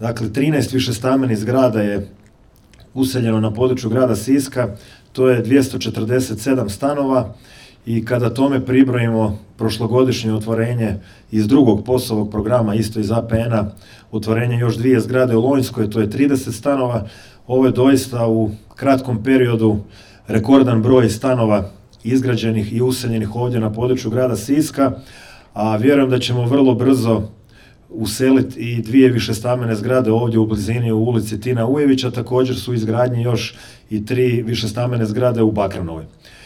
Dakle, 13 višestambenih zgrada je useljeno na području grada Siska, to je 247 stanova i kada tome pribrojimo prošlogodišnje otvorenje iz drugog POS-ovog programa, isto iz APN-a, otvorenje još 2 zgrade u Lonjskoj, to je 30 stanova. Ovo je doista u kratkom periodu rekordan broj stanova izgrađenih i useljenih ovdje na području grada Siska, a vjerujem da ćemo vrlo brzo useliti i 2 višestambene zgrade ovdje u blizini u ulici Tina Ujevića, također su izgradnji još i 3 višestambene zgrade u Bakranovoj.